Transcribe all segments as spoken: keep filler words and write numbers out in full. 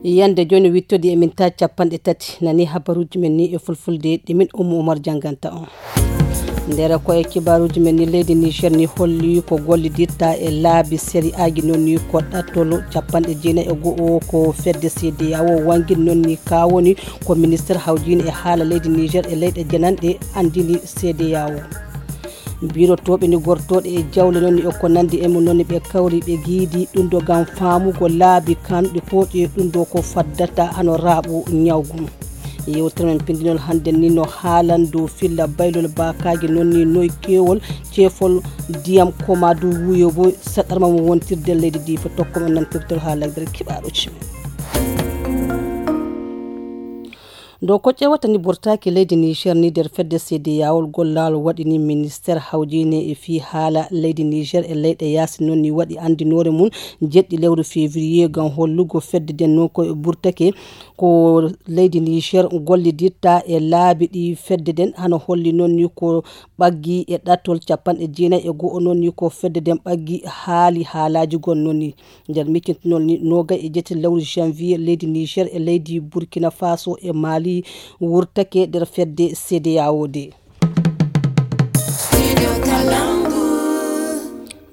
Yande jooni wittodi e min ta capanɗe tati. Nani habaruuji men ni e fulfulde, ɗi min Ummu Umar jannganta on. Nder ko e kibaaruuji men ni, leydi Niger ni holli ko gollidirta e laabi sari'aaji, noon ni ko ɗattol capanɗe jeenayi e go'o ko fedde C D A O wangini, noon ni ka woni ko ministeer hawjiinde e haala leydi Niger e leyɗe jananɗe anndini C D A O. Mbirotooɓe ni gortooɗe e jawle noon ni e ko nanndi e mum noon ni ɓe kawri ɓe giidi ɗum ɗo ngam faamugo laabi kanɗi pooƴe ɗum ɗo ko faddata hano raaɓo ñawgu. Yewtere men pinndinol hannden ni no haalan dow filla baylol baakaaji noon ni noy keewol ceefol ndiyam koma dow wuyo bo saɗarma mo wontirde leydi ndi fo tokko men nantirtol haalagdere kibaaruuji men. Dow ko ƴeewata ni burtaaki leydi Niger ni nder fedde C D A O, gollal waɗi ni ministeer hawjiine e fii haala leydi Niger e leyɗe yaasi noon ni waɗi anndinoore mum jeɗɗi lewru février ngam hollugo fedde nden noon ko e burtake ko leydi Niger gollidirta e laabi ɗi fedde nden hano holli noon ni ko ɓaggi e ɗattol capanɗe jeenayi e go'o noon ni ko fedde nden ɓaggi haali haalaaji gon noon ni. Nder miccintinol ni, noogay e jeetati lewru janvier, leydi Niger e leydi Burkina Faso e Mali wurtake nder fedde C D A O de.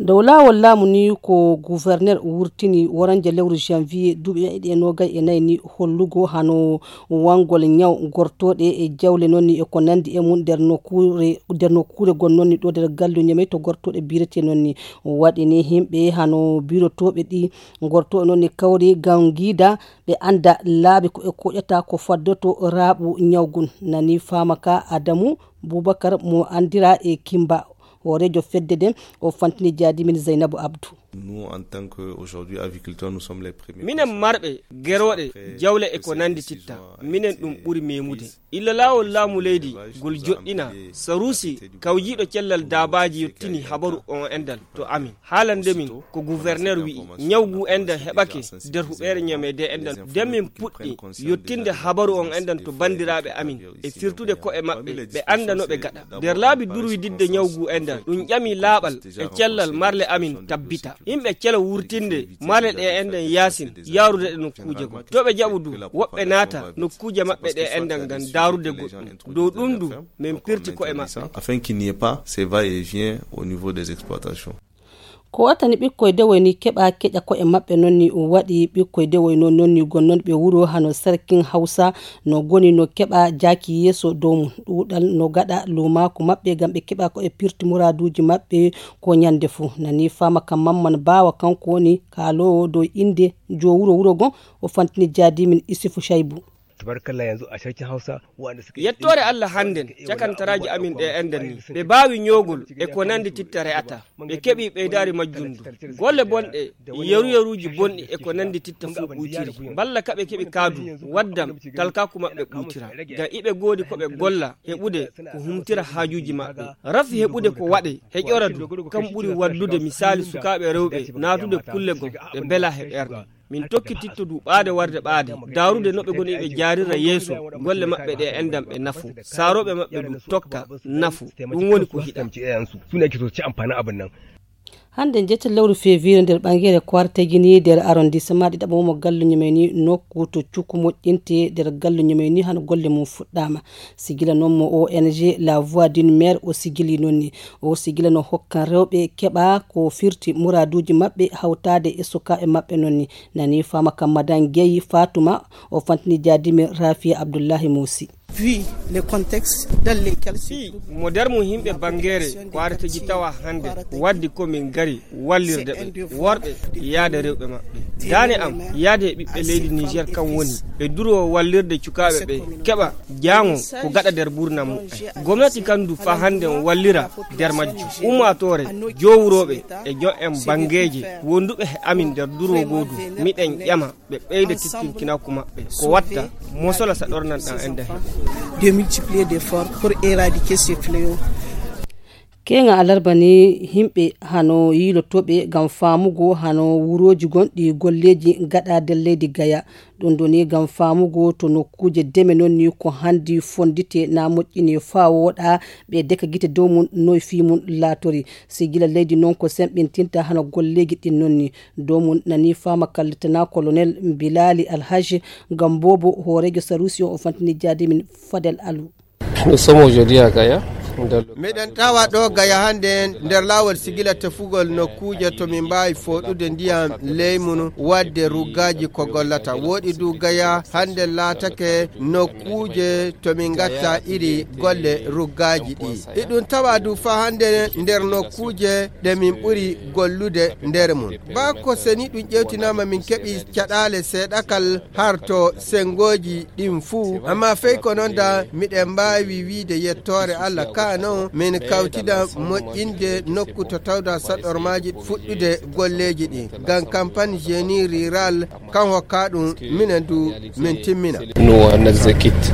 Dow laawol laamu ni, ko gouverneur wurtini woranje lewru janvier duuɓi ɗiɗi e noogay e nayi ni, hollugo hano wangol ñaw gortooɗe e jawle noon ni e ko nanndi e mum nder nokkuure, nder nokkuure gon noon ni ɗo nder gallu Ñamey to gortooɗe birete noon ni. Waɗi ni yimɓe hano birotooɓe ɗi gortooɗe noon ni kawri ngam ngiida ɓe annda laabi ko e koƴata ko faddoto raaɓu ñawgun. Nani faama ka Adamu Bubakar mo anndira e Kimba, hooreejo fedde nden, o fantini jaadi min Zaynabu Abdu. Nous, en tant qu'aujourd'hui agriculteurs, nous sommes les premiers. Minen marɓe gerooɗe jawle e ko nanndi titta, minen ɗum ɓuri memude. Illa laawol laamu leydi ngol joɗɗina, Sarusi kawjiiɗo cellal daabaaji yottini habaru on enɗan to amin. Haalande min ko gouverneur wi'i, ñaw ngu enɗan heɓake nder huɓeere Ñamey de enɗan. Nden min puɗɗi yottinde habaru on enɗan to banndiraaɓe amin e firtude ko'e maɓɓe, ɓe annda no ɓe gaɗa. Nder laabi durwididde ñaw ngu enɗan, ɗum ƴami laaɓal e cellal marle amin tabbita. Yimɓe celo wurtinde marle ɗe enɗan yaasin, yaarude ɗe nokkuuje goo. To ɓe jaɓu du, woɓɓe naata nokkuuje maɓɓe ɗe enɗan ngam daarude goɗɗum. Dow ɗum du, min pirti ko'e maɓɓe. Afin qu'il n'y ait pas ces va-et-vient au niveau des exploitations. Ko watani ɓikkoy dewoy ni keɓa keƴa ko'e maɓɓe, noon ni waɗi ɓikkoy dewoy noon, noon ni gonnoon ɓe wuro hano Sarkin Hawsa no goni no keɓa jaaki yeeso dow mum. Ɗuuɗal no gaɗa luumaaku maɓɓe ngam ɓe keɓa ko e pirti muraaduuji maɓɓe ko ñande fuu. Nani faama ka Mamman Baawa, kanko woni kaaloowo dow innde joo wuro wuro gon, o fantini jaadi min Isifu Caybu. Tabarkalla, yanzu a Sarkin Hausa, waɗanda suke. Yettoore Allah, hannden cakantaraaji amin ɗe enɗan ni, ɓe mbaawi ñoogol e ko nanndi titta re'ata. Ɓe keɓi ɓeydaari majjum ndu. Golle bonɗe, yeru-yeruuji bonɗi e ko nanndi titta fof ɓuytiri. Mballa ka ɓe keɓi kaadu, waddam, talkaaku maɓɓe ɓuytira. Ngam iɓe ngoodi ko ɓe golla, heɓude ko humtira haajuuji maɓɓe. Rafi heɓude ko waɗe, heƴora du, kam ɓuri wallude misaali sukaaɓe rewɓe naatude kulle goo, ɓe mbela he ɓernde. Min tokkititto du ɓaade warde ɓaade, daarude no ɓe ngoni ɓe jaarira yeeso golle maɓɓe ɗe enɗan ɓe nafo, saarooɓe maɓɓe du tokka nafo. Ɗum woni ko hiɗam. Su ne ake so ci amfanin abin nan. Hannde jeetati lewru février nder ɓangere Kwartegini nder arrondissement ɗiɗaɓo mo Gallo Ñamey ni, nokku to cukku moƴƴinte nder Gallo Ñamey ni, hano golle mum fuɗɗaama. Sigila noon mo O N G La Voix d'une Mère o sigili noon ni. O sigila no hokkan rewɓe keɓa ko firti muraaduuji maɓɓe hawtaade e sukaaɓe maɓɓe noon ni. Nani faama ka Madan Gey Fatuma, o fantini jaadi min Rafiya Abdullahi Muusi. Vu les contextes dans lesquels se trouve. Fii mo nder mum yimɓe bangeere Kwareteji tawa hannde, waddi ko min ngari wallirde ɓe, worɓe yaade rewɓe maɓɓe. Daane am yaade e ɓiɓɓe leydi Niger kam woni ɓe duroo wallirde cukaaɓe ɓe keɓa jaango ko gaɗa nder ɓurnam muɓɓen. Gomnati kan du faa hannde on wallira nder majjum. Ummaatoore, jowrooɓe e jon en bangeeje wonduɓe he amin nder duroo ngoo du, miɗen ƴama ɓe ɓeyda tittinkinaaku maɓɓe. Ko watta mosola sa ɗornan ɗan en dahi. De multiplier d'efforts pour éradiquer ce fléau. Keeŋa alarba ni, yimɓe hano yiilotooɓe ngam faamugo hano wurooji gonɗi golleeji gaɗa nder leydi Gaya. Ɗum ɗo ni ngam faamugo to nokkuuje deme non ni ko handi fondite na moƴƴini faa wooɗa, ɓe deka gite dow mum noy fii mum laatori. Si gila leydi non ko semɓintinta hano golleeji ɗin non ni. Dow mum nani faama kallitana Colonel Bilali Alhaji Gambobo, hooreejo Sarusi on o fantini jaadi min Fadel Alu. Nous sommes aujourd'hui à Gaya. Miɗen tawa ɗo Gaya hannde nder laawol sigila tefugol nokkuuje to min mbaawi fooɗude ndiyam leymun waɗde ruggaaji ko gollata. Wooɗi du Gaya hannde laatake nokkuuje to min ngatta iri golle ruggaaji ɗi. Iɗum tawa du faa hannde nder nokkuuje ɗe min ɓuri gollude nder mum. Ba ko seni ɗum ƴewtinaama min keɓi caɗaale seeɗakal harto senngooji ɗin fuu. Amma fey ko non da miɗen mbaawi wiide yettoore Allah ka non min kawtida moƴƴinde nokku to tawda saɗormaaji fuɗɗude golleeji ɗin. Ngam campagne génie rural kan hokka ɗum minen du min timmina. Nous on exécute.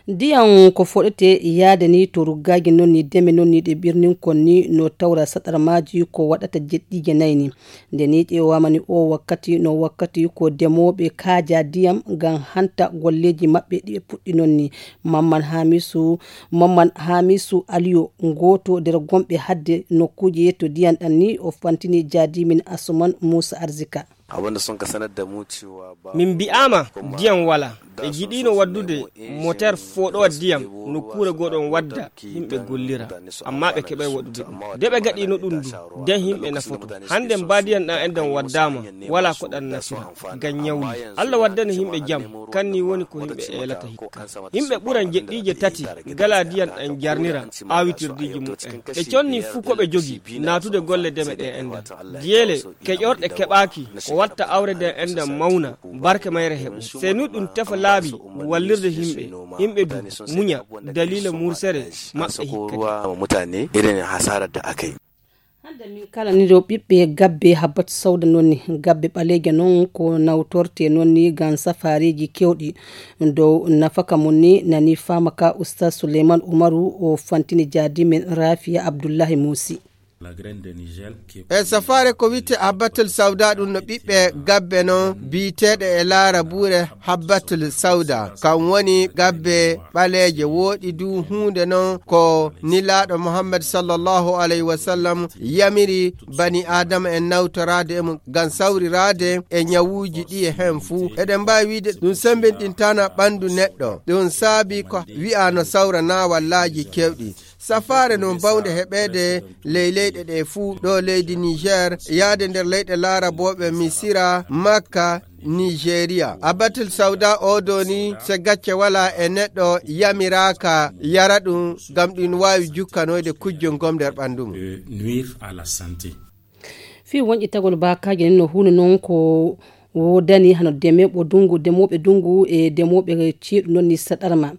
Ndiyam ko foɗete yaade ni to ruggaaji non ni deme non ni ɗe ɓirnin kon ni no tawra saɗarmaaji ko waɗata jeɗɗiije nayi ni. Nde ni ƴeewaama ni o wakkati no wakkati ko demooɓe kaaja ndiyam ngam hanta golleeji maɓɓe ɗi ɓe puɗɗi non ni. Mamman Hamisu, Mamman Hamisu Aliyo, gooto nder gonɓe hadde nokkuuje yetto ndiyam ɗam ni o fantini jaadi min Asuman Musa Arzika. Abin da sun ka sanar da mu cewa ba Min mbi'aama ndiyam walaa. Ɓe njiɗiino waɗdude moteer fooɗowa ndiyam nokkuure goo ɗon wadda yimɓe gollira, ammaa ɓe keɓay waɗude ɗum. Nde ɓe ngaɗiino ɗum du, nden yimɓe nafoto. Hannde mbaadiyan ɗan enɗan waddaama, walaa ko ɗan nafira, ngam ñawli. Alla waddani yimɓe jam, kan ni woni ko yimɓe eelata hikka. Yimɓe ɓuran jeɗɗiije tati ngalaa ndiyam ɗan jarnira aawitirdiiji muɓɓen. Ɓe conni fuu ko ɓe jogii naatude golle deme ɗe enɗan. Diyeele keƴorɗe keɓaaki ko watta awre nden enɗan mawna, barke mayre heɓu. Sey ni ɗum tefa laabi wallirde yimɓe, yimɓe du muña daliila mursere maɓɓe hikkadi. Mutane irin hasarar da aka yi. Hannde min kala ni ɗo ɓiɓɓe gabbe Habbat Sawda non ni, gabbe ɓaleeje non ko nawtorte non ni ngam safareeji kewɗi. Dow nafaka mum ni nani faama ka Ustaz Suleiman Umaru o fantini jaadi men Rafiya Abdullahi Muusi. E safaare ko wi'ete Habbatul Sawda ɗum no ɓiɓɓe gabbe non biyeteeɗe e laarabuure Habbatul Sawda. Kan woni gabbe ɓaleeje wooɗi du huunde non ko Nelaaɗo Muhammad sallallahu alayhi wa sallam yamiri bani Aadama en nawtoraade e mum ngam sawriraade e ñawuuji ɗi e heen fuu. Eɗen mbaawi wi'ude ɗum semmbinɗintaana ɓanndu neɗɗo. Ɗum saabi ko wi'aa no sawra naawallaaji kewɗi. Safaare non bawnde heɓeede ley leyɗe ɗe fuu, ɗo leydi Niger, yaade nder leyɗe laarabooɓe Misira, Makka, Nigeria. Abatul Sawda o do ni, se gacce wala e neɗɗo yamiraaka yara ɗum, ngam ɗum waawi jukkanoyde kujjol ngol nder ɓanndu mum. Nuire à la santé. Fii wonƴitagol baakaaji nen no huunde non ko woodani hano demeeɓo dungu, demooɓe dungu e demooɓe ceeɗu non ni saɗarma.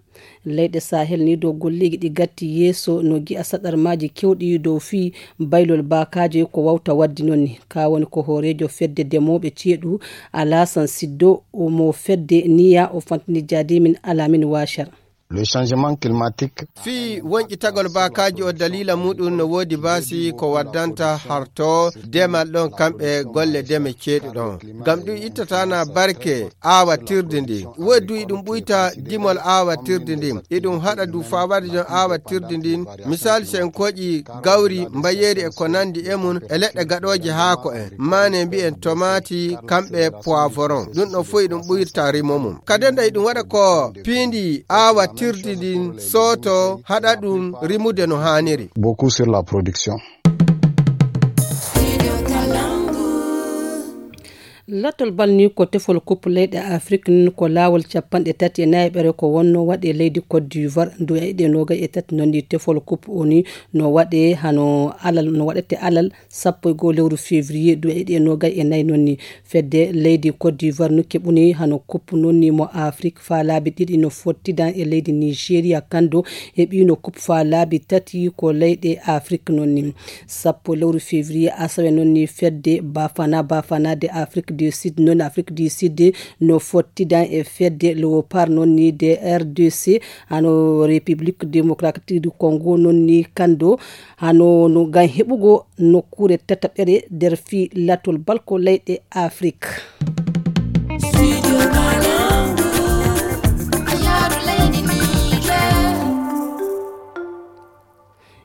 Leyɗe Sahel ni dow golleeji ɗi gatti yeeso no gi'a saɗarmaaji kewɗi dow fii baylol baakaaji ko wawta waddi non ni. Ka woni ko hooreejo fedde demooɓe ceeɗu Alasan Siddo mo fedde niya o fantini jaadi min Alamin Washar. Le changement climatique. Fii wonƴitagol baakaaji o daliila muɗum no woodi baasi ko waddanta harto demal ɗon kamɓe golle deme ceeɗu ɗon. Ngam ɗum ittataana barke aawatirdi ndin. Woodi du iɗum ɓuyta dimol aawatirdi ndin. Iɗum haɗa du faa waɗi ɗon aawatirdi ndin. Misaali, si en kooƴi gawri, mbayeeri e ko nanndi e mum, e leɗɗe gaɗooje haako en. Maane mbi'en tomaati, kamɓe poivron. Ɗum ɗon fof iɗum ɓuyta rimo mum. Kadi nde iɗum waɗa ko piindi aawatirdi ndin sooto haɗa ɗum rimude no haaniri. Beaucoup sur la production. Lattol bal ni ko tefol kup leyɗe Afrik ni ko laawol capanɗe tati e nayi ɓere ko wonno waɗe leydi Côte d'Ivoire ndu e ɗe nogay e tati non ni tefol kup o ni no waɗe hano alal no waɗete alal sappo e goo lewru février du e ɗe nogay e nayi non ni. Fedde leydi Côte d'Ivoire no keɓuni hano kup non ni mo Afrik faa laabi ɗiɗi no fottidan e leydi Nigeria kando heɓino kup faa laabi tati ko leyɗe Afrik non ni. Sappo lewru février asawe non ni fedde Bafana Bafana de Afrik du Sud, noon Afrique du Sud no fottida e fedde Léopard noon ni de R D C, hano République Démocratique du Congo noon ni kando, hano no ngam heɓugo nokkuure tataɓere nder fii latol balko leyɗe Afrique.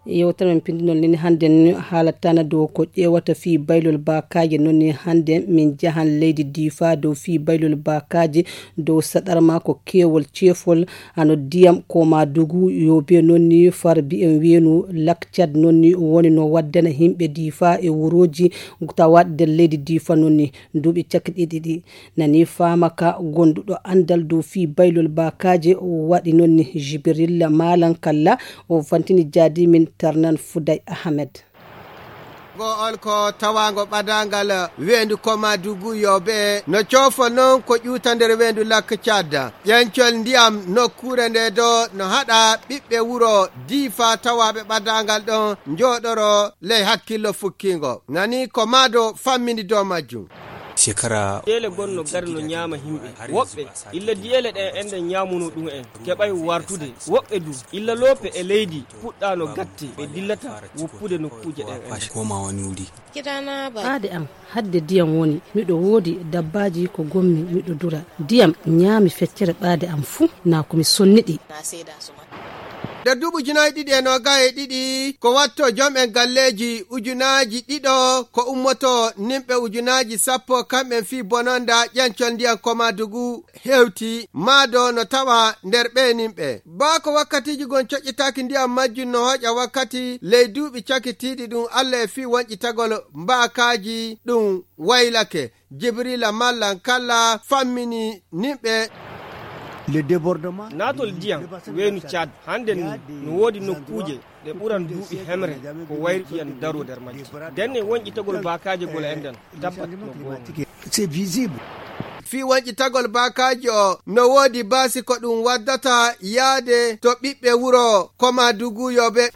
Yewtere men pindinol nini hannde ni haalatana dow ko ƴeewata fii baylol baakaaje. Noon ni hannde min njahan leydi Diifa dow fii baylol baakaaje, dow saɗarma ko keewol ceefol, hano diyam ko ma dugu yobe. Noon ni far bi'en weenu Lak Cad noon ni woni no waddana yimɓe Diifa e wurooji tawaɗi nder leydi Diifa. Noon ni duuɓi cakki ɗiɗi ɗi nani faama ka gonduɗo anndal dow fii baylol baakaaje waɗi noon ni Jibril Malan Kalla, o fantini jaadi min Tarnan Fuday Ahmed. Ngo on ko tawaango ɓadaangal weendu Komadugu yobe no coofo noon ko ƴuuta nder weendu Lak Cad. Ƴencol ndiyam nokkuure nde do no haɗa ɓiɓɓe wuro Diifa tawaaɓe ɓadaangal ɗon njooɗoro ley hakkillo fukkingo. Nani ko maado fammini dow majjum. Shekara diyeele gonno gari no ñaama yimɓe. Woɓɓe illa diyeele ɗen enɗen ñaamuno ɗum en keɓay wartude. Woɓɓe du illa loope e leydi puɗɗaano gatte ɓe dillata woppude nokkuuje ɗen enɗen. Koma woni wuri. Ɓaade am hadde diyam woni, miɗo woodi dabbaaji ko gommi miɗo dura. Diyam ñaami feccere ɓaade am fuu, naa ko mi sonniɗi. Nder duuɓi ujunaaji ɗiɗi e noogay e ɗiɗi, ko watto jom'en galleeji ujunaaji ɗiɗo ko ummoto nimɓe ujunaaji sappo kamɓen fii bononda ƴencol ndiyam Komadugu hewti maado no tawa nder ɓee nimɓe. Baa ko wakkatiiji gon coƴƴitaaki ndiyam majjum no hoƴa wakkati ley duuɓi cakitiiɗi ɗum Alla e fii wonƴitagol mbaakaaji ɗum waylake. Jibrila Mallan Kalla fammini nimɓe. Le débordement. Naatol ndiyam weenu Caad hannden ni no woodi nokkuuje ɗe ɓuran duuɓi hemre ko wayri ɗiyan daro nder majji. Ndenne wonƴitagol baakaaje gol enɗan tabbat no goonga. C'est visible. Fii wonƴitagol baakaaji o no woodi baasi ko ɗum waddata yaade to ɓiɓɓe wuro Komadugu yobe.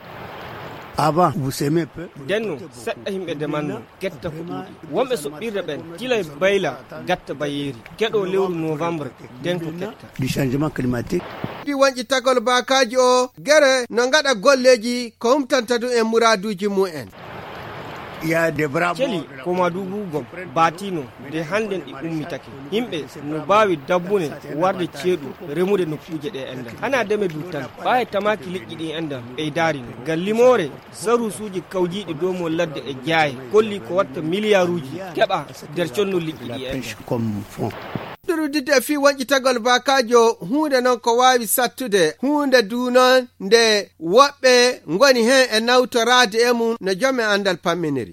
Avant, vous semez peu. Denno seɗɗa yimɓe demanno. Ketta ko ɗuuɗi. Wonɓe soɓɓirde ɓen tilay bayla gatta bayeeri keɗo lewru novembre. Den ko ketta. Du changement climatique. Ɗi wonƴitagol baakaaji o gere no ngaɗa golleeji ko humtanta ɗum e muraaduuji mum en. Celi Komadugu gom baatino nde hannden ɗi ummitake. Yimɓe no baawi dabbune warde ceeɗu remude nokkuuje ɗe enɗan hana deme du tan ɓaaye tamaaki liƴƴi ɗi enɗan ɓeydaari no ngal limoore. Sarusuuji kawjiiɗi dow mo ladde e jaaye kolli ko watta miliyaaruuji keɓa nder conno liƴƴi ɗi en. Ɗurudidde e fii wonƴitagol baakaajo huunde noon ko waawi sattude huunde du noon nde woɓɓe ngoni heen e nawtoraade e mum no joom e anndal pamminiri.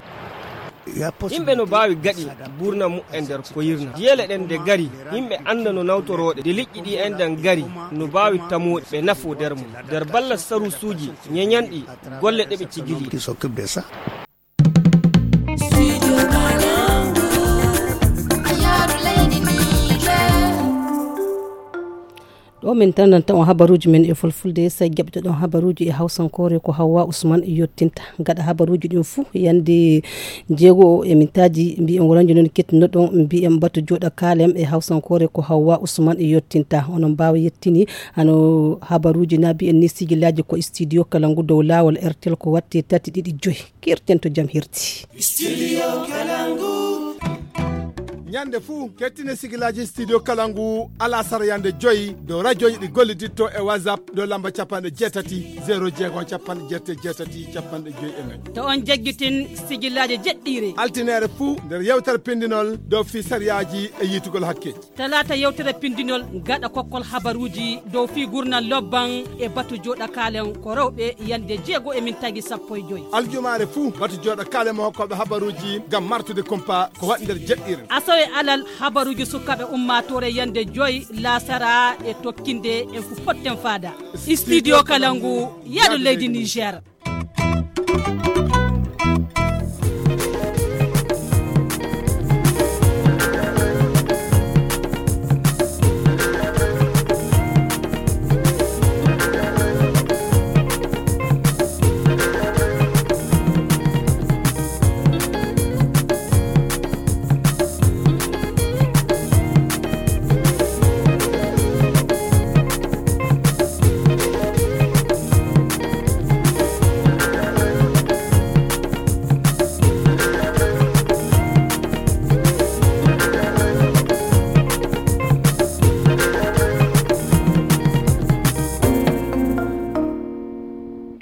Yimɓe no mbaawi gaɗi buurna mu'en nder koyirna. Diyeele ɗen nde gari, yimɓe annda no nawtorooɗe. Nde liƴƴi ɗi enɗan gari, no mbaawi tamooɗi ɓe nafo nder mum. Nder balla sarusuuji ñeñanɗi golle ɗe ɓe cigili. Ɗo min tananta on habaruuji men e fulfulde, sey jaɓtoɗon habaruuji e hawsankoore ko Hawwa Usman yottinta. Gaɗa habaruuji ɗin fuu, yande jeego e mintaaji, mbiyen woranjo non kettunoɗon, mbiyen batu jooɗa kaalem e hawsankoore ko Hawwa Usman yottinta. Onon mbaawa yettini hano habaruuji na mbiyen ni sigilaaji ko studio kala ngu dow laawol R T L ko watte tati ɗiɗi joyi. Kirten to jam hirti. Studio Kalangu. Ñande fuu, kettine sigilaaji Studio Kalangu alasara yande joyi dow rajooji ɗi golliditto e WhatsApp dow lamba capanɗe jeetati, zero jeego, capanɗe jeetati, jeetati, capanɗe joyi e nayi. To on jaggitin sigilaaji jeɗɗiire. Altineere fuu nder yewtere pindinol dow fii sariyaaji e yiitugol hakke. Talaata yewtere pindinol gaɗa kokkol habaruuji dow fii gurnal lobban e batu jooɗa kaalen ko rewɓe yande jeego e mintaaji sappo e joyi. Aljumaare fuu batu jooɗa kaalen mo hokkooɓe habaruuji ngam martude kumpa ko waɗi nder jeɗɗiire. Asawe alal habaruuji sukaaɓe ummaatoore yande joyi laasara e tokkinde en fu potten faada. Studio Kalangu, yaadu leydi Niger.